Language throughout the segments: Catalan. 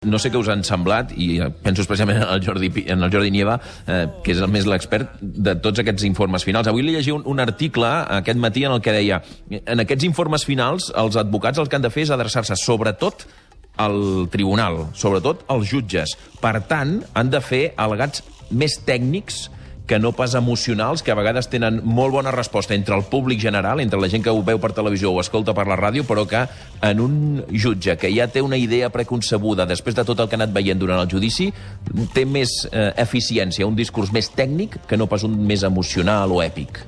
No sé què us han semblat, i penso especialment en el Jordi Nieva, que és el més l'expert de tots aquests informes finals. Avui li llegia un article aquest matí en el que deia en aquests informes finals els advocats el que han de fer és adreçar-se sobretot al tribunal, sobretot als jutges. Per tant, han de fer al·legats més tècnics que no pas emocionals, que a vegades tenen molt bona resposta entre el públic general, entre la gent que ho veu per televisió o escolta per la ràdio, però que en un jutge que ja té una idea preconcebuda després de tot el que ha anat veient durant el judici, té més eficiència, un discurs més tècnic que no pas un més emocional o èpic.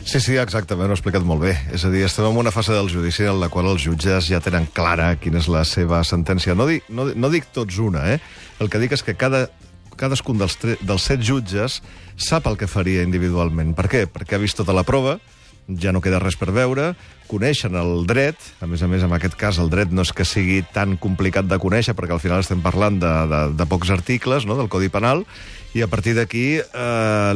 Sí, exactament, ho ha explicat molt bé. És a dir, estem en una fase del judici en la qual els jutges ja tenen clara quina és la seva sentència. No dic tots una, El que dic és que cadascun dels 7 jutges sap el que faria individualment. Per què? Perquè ha vist tota la prova, ja no queda res per veure, coneixen el dret, a més, en aquest cas el dret no és que sigui tan complicat de conèixer, perquè al final estem parlant de pocs articles, no?, del Codi Penal, i a partir d'aquí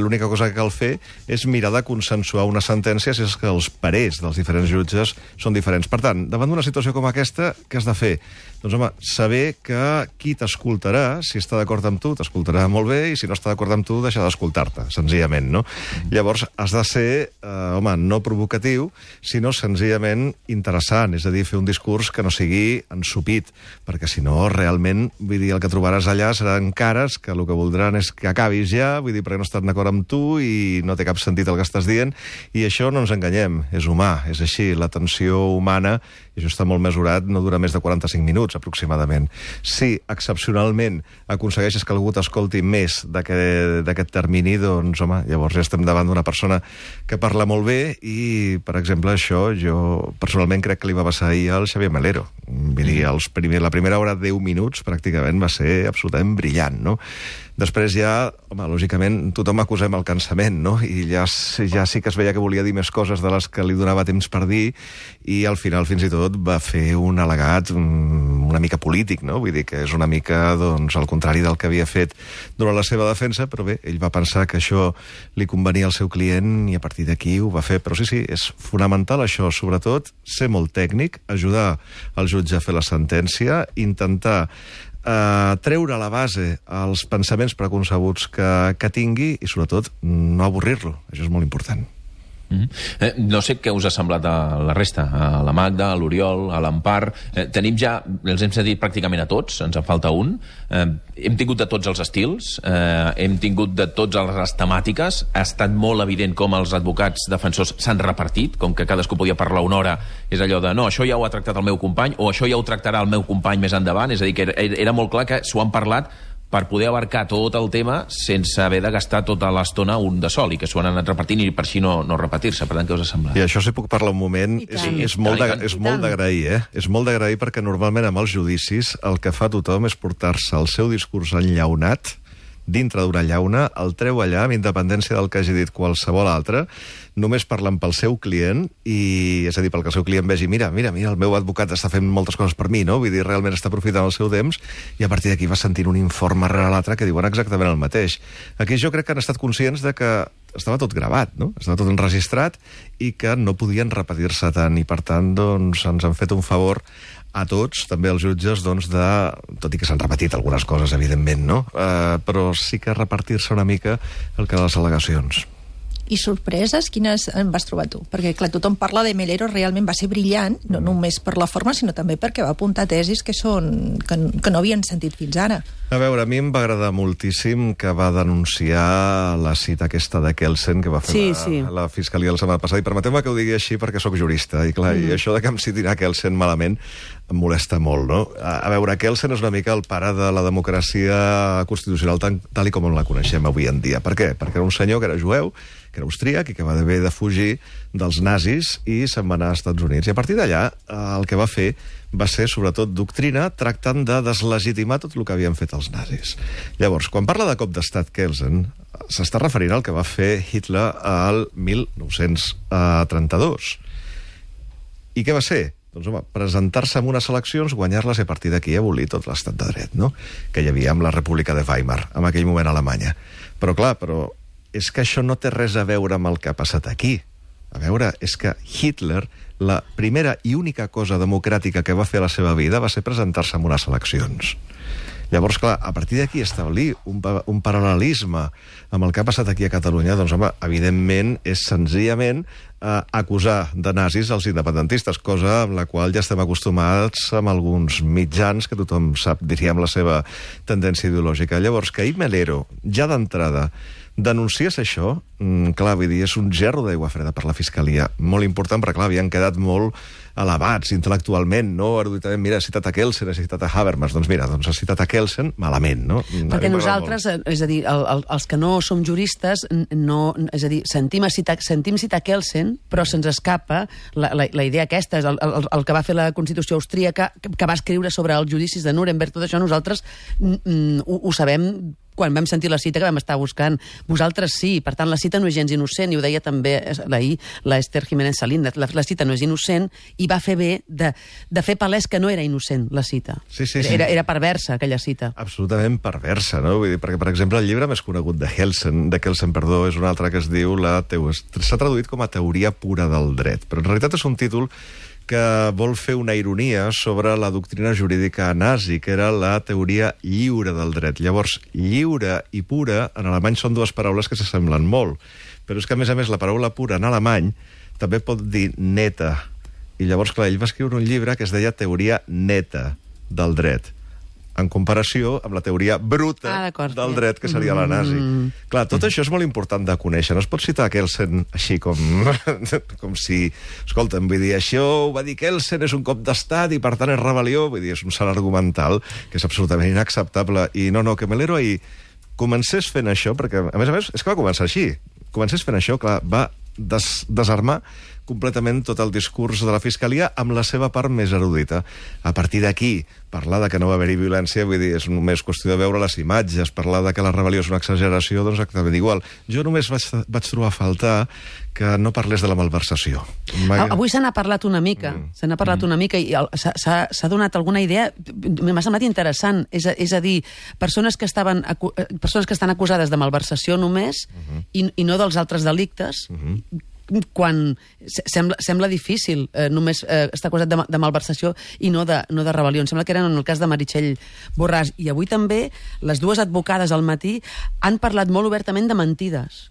l'única cosa que cal fer és mirar de consensuar una sentència si és que els parers dels diferents jutges són diferents. Per tant, davant d'una situació com aquesta, què has de fer? Doncs, home, saber que qui t'escoltarà, si està d'acord amb tu, t'escoltarà molt bé, i si no està d'acord amb tu, deixar d'escoltar-te, senzillament, no? Llavors, has de ser, no provocatiu, sinó senzillament interessant, és a dir, fer un discurs que no sigui ensupit, perquè si no, realment, vull dir, el que trobaràs allà seran cares que el que voldran és que acabis ja, vull dir, perquè no estan d'acord amb tu i no té cap sentit el que estàs dient, i això no ens enganyem, és humà, és així, la tensió humana, i això està molt mesurat, no dura més de 45 minuts, aproximadament. Si excepcionalment aconsegueixes que algú t'escolti més d'aquest termini, doncs, home, llavors ja estem davant d'una persona que parla molt bé i, per exemple, això jo personalment crec que li va passar ahir al Xavier Melero. Vull dir, la primera hora, 10 minuts, pràcticament va ser absolutament brillant, no? Després ja, home, lògicament, tothom acusem el cansament, no? I ja sí que es veia que volia dir més coses de les que li donava temps per dir, i al final, fins i tot, va fer un al·legat una mica polític, no? Vull dir que és una mica, doncs, al contrari del que havia fet durant la seva defensa, però bé, ell va pensar que això li convenia al seu client i a partir d'aquí ho va fer. Però sí, és fonamental això, sobretot, ser molt tècnic, ajudar el jutge a fer la sentència, intentar treure a la base els pensaments preconcebuts que tingui i, sobretot, no avorrir-lo. Això és molt important. No sé què us ha semblat a la resta, a la Magda, a l'Oriol, a l'Empar. Tenim ja, els hem sentit pràcticament a tots, ens en falta un. Hem tingut de tots els estils, hem tingut de totes les temàtiques. Ha estat molt evident com els advocats defensors s'han repartit, com que cadascú podia parlar una hora. És allò de, no, això ja ho ha tractat el meu company, o això ja ho tractarà el meu company més endavant. És a dir, que era molt clar que s'ho han parlat per poder abarcar tot el tema sense haver de gastar tota l'estona un de sol, i que s'ho han anat repartint i per així no repetir-se. Per tant, què us ha semblat? I això, si puc parlar un moment, és molt d'agrair, És molt d'agrair perquè normalment amb els judicis el que fa tothom és portar-se el seu discurs enllaunat dintre d'una llauna, el treu allà amb independència del que hagi dit qualsevol altre, només parlant pel seu client, i és a dir, pel que el seu client vegi, mira, el meu advocat està fent moltes coses per mi, no? Vull dir, realment està aprofitant el seu temps, i a partir d'aquí va sentint un informe rere l'altre que diuen exactament el mateix. Aquí jo crec que han estat conscients de que estava tot gravat, no? Estava tot enregistrat i que no podien repetir-se tant, i per tant, doncs, ens han fet un favor a tots, també als jutges, doncs, tot i que s'han repetit algunes coses, evidentment, no? Però sí que repartir-se una mica el que de les al·legacions. I sorpreses, quines en vas trobar tu? Perquè, clar, tothom parla de Melero, realment va ser brillant, no només per la forma, sinó també perquè va apuntar tesis que no havien sentit fins ara. A veure, a mi em va agradar moltíssim que va denunciar la cita aquesta de Kelsen que va fer la Fiscalia la setmana passada, i permeteu-me que ho digui així perquè sóc jurista, i clar, i això de que em citin a Kelsen malament em molesta molt, no? A veure, Kelsen és una mica el pare de la democràcia constitucional tal i com la coneixem avui en dia. Per què? Perquè era un senyor que era jueu, que era austríac i que va haver de fugir dels nazis i se'n va anar als Estats Units. I a partir d'allà el que va fer va ser, sobretot, doctrina, tractant de deslegitimar tot el que havien fet els nazis. Llavors, quan parla de cop d'estat Kelsen, s'està referint al que va fer Hitler al 1932. I què va ser? Doncs, home, presentar-se en unes eleccions, guanyar-les i a partir d'aquí abolir tot l'estat de dret, no?, que hi havia amb la República de Weimar, en aquell moment a Alemanya. Però, clar, és que això no té res a veure amb el que ha passat aquí. A veure, és que Hitler, la primera i única cosa democràtica que va fer a la seva vida va ser presentar-se en unes eleccions. Llavors, clar, a partir d'aquí establir un paral·lelisme amb el que ha passat aquí a Catalunya, doncs, home, evidentment és senzillament acusar de nazis els independentistes, cosa amb la qual ja estem acostumats amb alguns mitjans que tothom sap, diríem, la seva tendència ideològica. Llavors, que ahir Melero, ja d'entrada, denunciés això, clar, vull dir, és un gerro d'aigua freda per la Fiscalia. Molt important, perquè, clar, havien quedat molt elevats intel·lectualment, no? Eruditament, mira, ha citat a Kelsen, ha citat a Habermas, doncs mira, ha citat a Kelsen, malament, no? Perquè nosaltres, és a dir, els que no som juristes, és a dir, sentim citar Kelsen, però se'ns escapa la idea aquesta, és el que va fer la Constitució austríaca, que va escriure sobre els judicis de Nuremberg, tot això nosaltres ho sabem quan vam sentir la cita que vam estar buscant. Vosaltres sí, per tant, la cita no és gens innocent, i ho deia també ahir la Esther Jiménez Salinas, la cita no és innocent, i va fer bé de fer palès que no era innocent, la cita. Sí. Era perversa, aquella cita. Absolutament perversa, no? Vull dir, perquè, per exemple, el llibre més conegut de Kelsen, és un altre que es diu s'ha traduït com a teoria pura del dret, però en realitat és un títol que vol fer una ironia sobre la doctrina jurídica nazi, que era la teoria lliure del dret. Llavors, lliure i pura, en alemany són dues paraules que s'assemblen molt, però és que, a més, la paraula pura en alemany també pot dir neta. I llavors, clar, ell va escriure un llibre que es deia Teoria neta del dret, en comparació amb la teoria bruta del dret, que seria la nazi. Clar, tot això és molt important de conèixer. No es pot citar Kelsen així com si... Escolta'm, vull dir, això ho va dir Kelsen, és un cop d'estat i per tant és rebel·lió. Vull dir, és un salt argumental que és absolutament inacceptable. I no, que Melero ahir comencés fent això, perquè, a més, és que va començar així. Comencés fent això, clar, va desarmar completament tot el discurs de la Fiscalia amb la seva part més erudita. A partir d'aquí, parlar de que no va haver-hi violència, vull dir, és només qüestió de veure les imatges, parlar de que la rebel·lió és una exageració, doncs exactament igual. Jo només vaig trobar a faltar que no parlés de la malversació. Avui se n'ha parlat una mica, i s'ha donat alguna idea, m'ha semblat interessant, és a dir, persones que estan acusades de malversació només i no dels altres delictes, quan sembla difícil només estar acusat de malversació i no de rebel·lió. Em sembla que eren en el cas de Meritxell Borràs. I avui també les dues advocades al matí han parlat molt obertament de mentides,